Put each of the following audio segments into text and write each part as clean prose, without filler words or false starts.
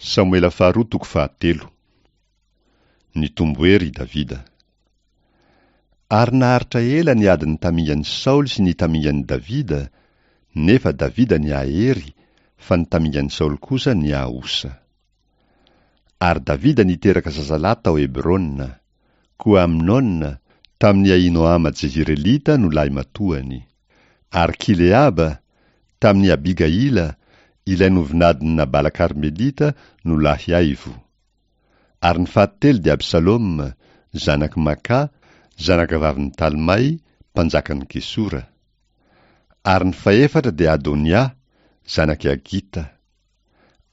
Samoela faharoa toko fahatelo. Nitombo hery i Davida. Ary naharitra ela ny adin'ny tamingan'i Saoly sy ny tamingan'i Davida, nefa Davida nihahery, fa ny tamingan'i Saoly kosa nihaosa. Ary Davida niteraka zazalahy tao Hebrona. Koa Amnona, tamin'i Ahinoama Jezirelita no lahimatoany. Ary Kileaba, tamin'i Abigaila, ilay novinadin'i Nabala Karmelita, no lahiaivo. Ary ny fahatelo dia Absaloma, zanak'i Maka, zanakavavin'i Talmay, mpanjakan'i Gesora. Ary ny fahefatra dia Adonia, zanak'i Hagita.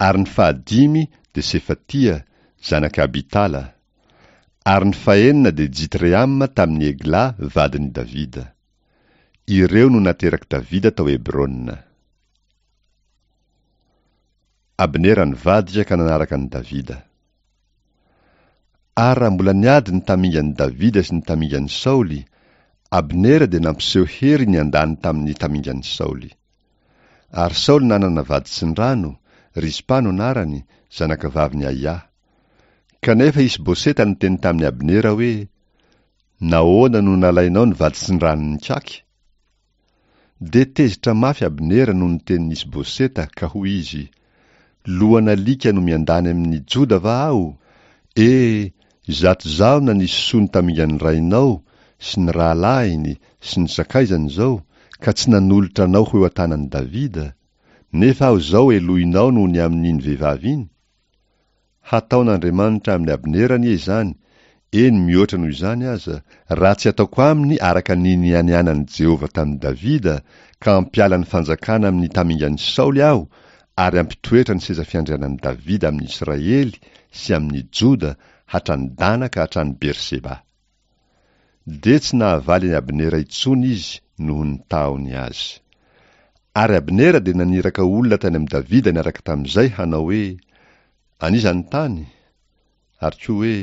Ary ny fahadimy dia Sefatia, zanak'i Abitala. Ary ny fahenina dia Jitreama tamin'i Egla vadin'i Davida. Ireo no naterak'i Davida tao Hebrona. Abnera nivadika ka nanaraka an'i Davida. Ary raha mbola niady ny tamingan'i Davida sy ny tamingan'i Saoly, Abnera dia nampiseho hery niandany tamin'ny tamingan'i Saoly. Ary Saoly nanana vady tsindrano, Rizpa no anarany, zanakavavin'i Aia. Kanefa Isboseta niteny tamin'i Abnera hoe, Nahoana no nalainao ny vaditsindranon'i Kaky? Dia tezitra mafy Abnera noho ny tenin'i Isboseta, ka hoy izy, Lohan'alika no miandany amin'ny Joda va aho? E, izato izaho nanisy soa ny tamingan'ny rainao sy ny rahalahiny sy ny sakaizany izao, ka tsy nanolotra anao ho eo an-tanan'i Davida, nefa aho izao helohinao noho ny amin'iny vehivavy iny? Hataon'Andriamanitra amin'i Abnera anie izany, eny mihoatra noho izany aza, raha tsy ataoko aminy araka ny nianianan'i Jehovah tamin'i Davida, ka hampiala ny fanjakana amin'ny tamingan'i Saoly aho ary hampitoetra ny seza fiandrianan'i Davida amin'i Israely sy amin'i Joda hatrany Dana ka hatrany Berseba. Dia tsy nahavaly an'i Abnera intsony izy noho ny tahony azy. Ary Abnera dia naniraka olona tany amin'i Davida niaraka tamin'izay hanao hoe, An'iza ny tany? Ary koa hoe,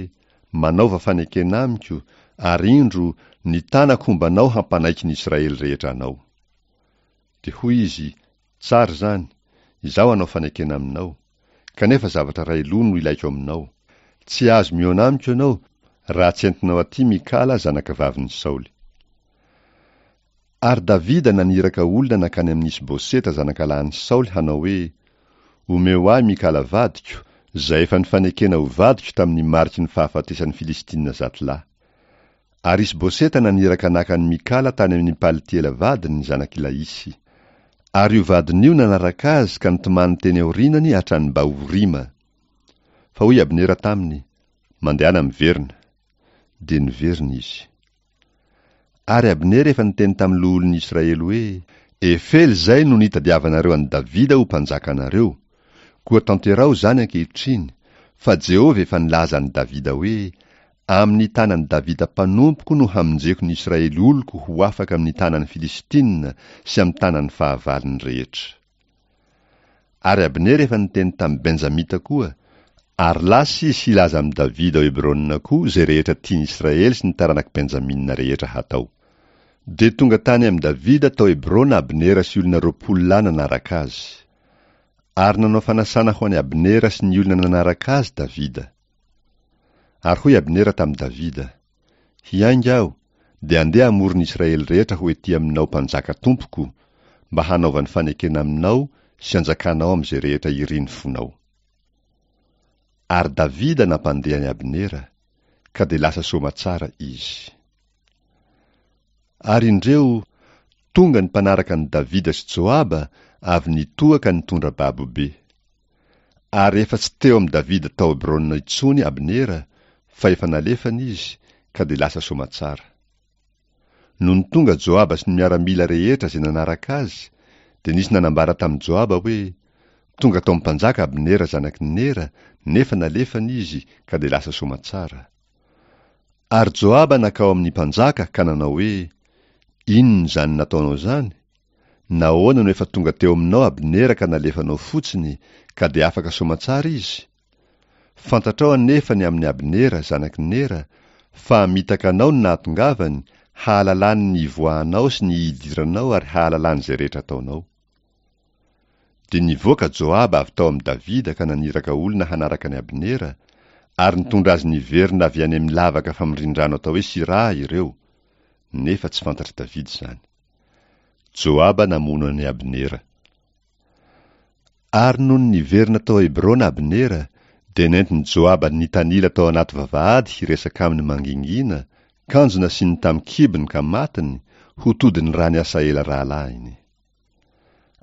Manaova fanekena amiko, ary indro, ny tanako homba anao hampanaiky ny Israely rehetra anao. Dia hoy izy, Tsara izany, izaho hanao fanekena aminao. Kanefa zavatra iray loha no ilaiko aminao. Tsy azo mihaona amiko ianao, raha tsy entinao aty Mikala zanakavavin'i Saoly. Ary Davida naniraka olona nankany amin'i Isboseta zanakalahin'i Saoly hanao hoe, Omeo ahy Mikala vadiko, izay efa nifanekena ho vadiko tamin'ny mariky ny fahafatesan'ny Filistina zatolahy. Ary Isboseta naniraka naka an'i Mikala tany amin'i Paltiela vadiny, zanak'i Laisy. Ary io vadiny io nanaraka azy ka nitomany teny aorianany hatrany Bahorima. Fa hoy Abnera taminy, Mandehana miverina. Dia niverina izy. Ary Abnera efa niteny tamin'ny loholon'ny Israely hoe, Efela izay no nitadiavanareo an'i Davida ho mpanjakanareo, koa tanteraho izany ankehitriny, fa Jehovah efa nilaza an'i Davida hoe, Amin'ny tanan'i Davida mpanompoko no hamonjeko ny Israely oloko ho afaka amin'ny tanan'ny Filistina sy amin'ny tanan'ny fahavalony rehetra. Ary Abnera efa niteny tamin'ny Benjamita koa, ary lasa izy hilaza amin'i Davida ao Hebrona koa izay rehetra tian'i Israely sy ny taranak'i Benjamina rehetra hatao. Dia tonga tany amin'i Davida tao Hebrona Abnera sy olona 20 lahy nanaraka azy. Ary nanao fanasana ho an'i Abnera sy ny olona nanaraka azy Davida. Ary hoy Abnera tamin'i Davida, Hiainga aho, dia andeha hamory ny Israely rehetra ho ety aminao mpanjaka tompoko, mba hanaovany fanekena aminao sy hanjakanao amin'izay rehetra irin'ny fonao. Ary Davida nampandeha an'i Abnera, ka dia lasa soamatsara izy. Ary indreo, tonga ny mpanaraka an'i Davida sy Joaba avy nitoha ka nitondra babo be. Ary efa tsy teo amin'i Davida tao Hebrona intsony Abnera, fa efa nalefany izy, ka dia lasa soamatsara. Nony tonga Joaba sy ny miaramila rehetra izay nanaraka azy, dia nisy nanambara tamin'i Joaba hoe, Tonga tao amin'ny mpanjaka Abnera zanak'i Nera, nefa nalefany izy, ka dia lasa soamatsara. Ary Joaba nankao amin'ny mpanjaka ka nanao hoe, Inona izany nataonao izany? Nahoana no efa tonga teo aminao Abnera ka nalefanao fotsiny, ka dia afaka soamantsara izy? Fantatrao anefa ny amin'i Abnera, zanak'i Nera, fa hamitaka anao ny nahatongavany, hahalalany ny hivoahanao sy ny hidiranao ary hahalalany izay rehetra ataonao. Dia nivoaka Joaba avy tao amin'i Davida ka naniraka olona hanaraka an'i Abnera, ary nitondra azy niverina avy any amin'ny lavaka famorian-drano atao hoe Siraha ireo, nefa tsy fantatr'i Davida izany. Joaba namono an'i Abnera. Ary nony niverina tao Hebrona Abnera, dia nentin'i Joaba nitanila tao anaty vavahady hiresaka aminy mangingina, kanjo nasiany tamin-kibony ka matiny, ho todin'ny ran'i Asahela rahalahiny.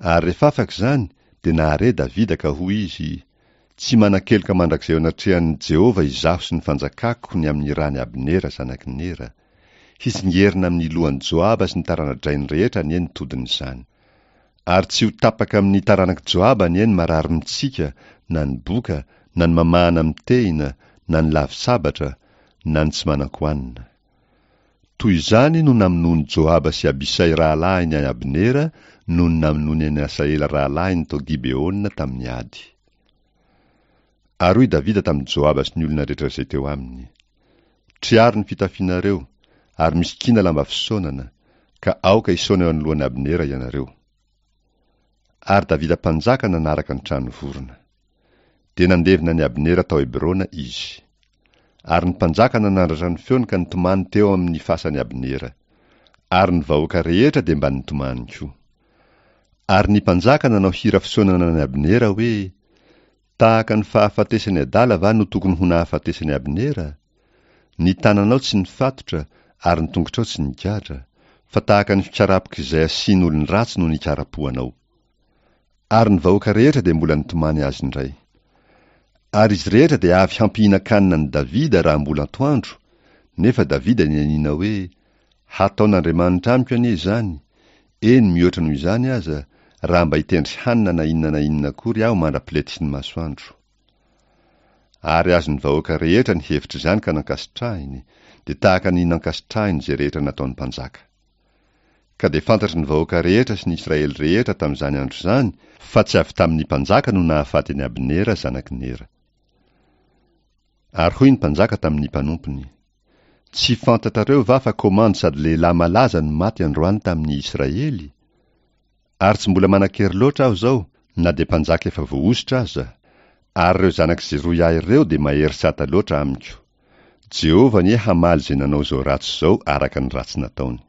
Ary rehefa afaka izany, dia nahare Davida ka hoy izy, Tsy manan-keloka mandrakizay eo anatrehan'i Jehovah izaho sy ny fanjakako ny amin'ny ran'i Abnera zanak'i Nera. Hitsingerina amin'ny lohan'i Joaba sy ny tarana-drainy rehetra anie ny todin'izany. Ary tsy ho tapaka amin'ny taranak'i Joaba anie ny marary mitsika, na ny boka, na ny mamahana amin'ny tehina, na ny lavo-tsabatra, na ny tsy manan-kohanina. Toy izany no namonoan'i Joaba sy Abisay rahalahiny an'i Abnera noho ny namonoany an'i Asahela rahalahiny tao Gibeona tamin'ny ady. Ary hoy Davida tamin'i Joaba sy ny olona rehetra izay teo aminy, Triaro ny fitafianareo, ary misikina lamba fisaonana, ka aoka hisaona eo anoloan'i Abnera ianareo. Ary Davida mpanjaka nanaraka ny trano vorona. Dia nandevina an'i Abnera tao Hebrona izy. Ary ny mpanjaka nanandratra ny feony ka nitomany teo amin' ny fasan'i Abnera. Ary ny vahoaka rehetra dia mba nitomany koa. Ary ny mpanjaka nanao hira fisaonana an'i Abnera hoe, Tahaka ny fahafatesan'ny adala va no tokony ho nahafatesan'i Abnera? Ny tananao tsy nifatotra ary ny tongotrao tsy nigadra, fa tahaka ny fikarapok'izay asian'olon-dratsy no nikarapohanao. Ary ny vahoaka rehetra dia mbola nitomany azy indray. Ary izy rehetra dia avy hampihinan-kanina an'i Davida raha mbola antoandro, nefa Davida nianiana hoe, Hataon'Andriamanitra amiko anie izany, eny mihoatra noho izany aza, raha mba hitendry hanina na inona na inona akory aho mandra-piletiky ny masoandro. Ary azon'ny vahoaka rehetra ny hevitr'izany ka nankasitrahiny, dia tahaka ny nankasitrahiny izay rehetra nataon'ny mpanjaka. Ka dia fantatry ny vahoaka rehetra sy ny Israely rehetra tamin'izany andro izany fa tsy avy tamin'ny mpanjaka no nahafaty an'i Abnera zanak'i Nera. Ary hoy ny mpanjaka tamin'ny mpanompony, Tsy fantatrareo va fa komandy sady lehilahy malaza no maty androany tamin'ny Israely? Ary tsy mbola manan-kery loatra aho izao, na dia mpanjaka efa voahosotra aza, ary ireo zanak'i Zeroia ireo dia mahery sata loatra amiko. Jehovah anie hamaly izay nanao izao ratsy izao araka ny ratsy nataony.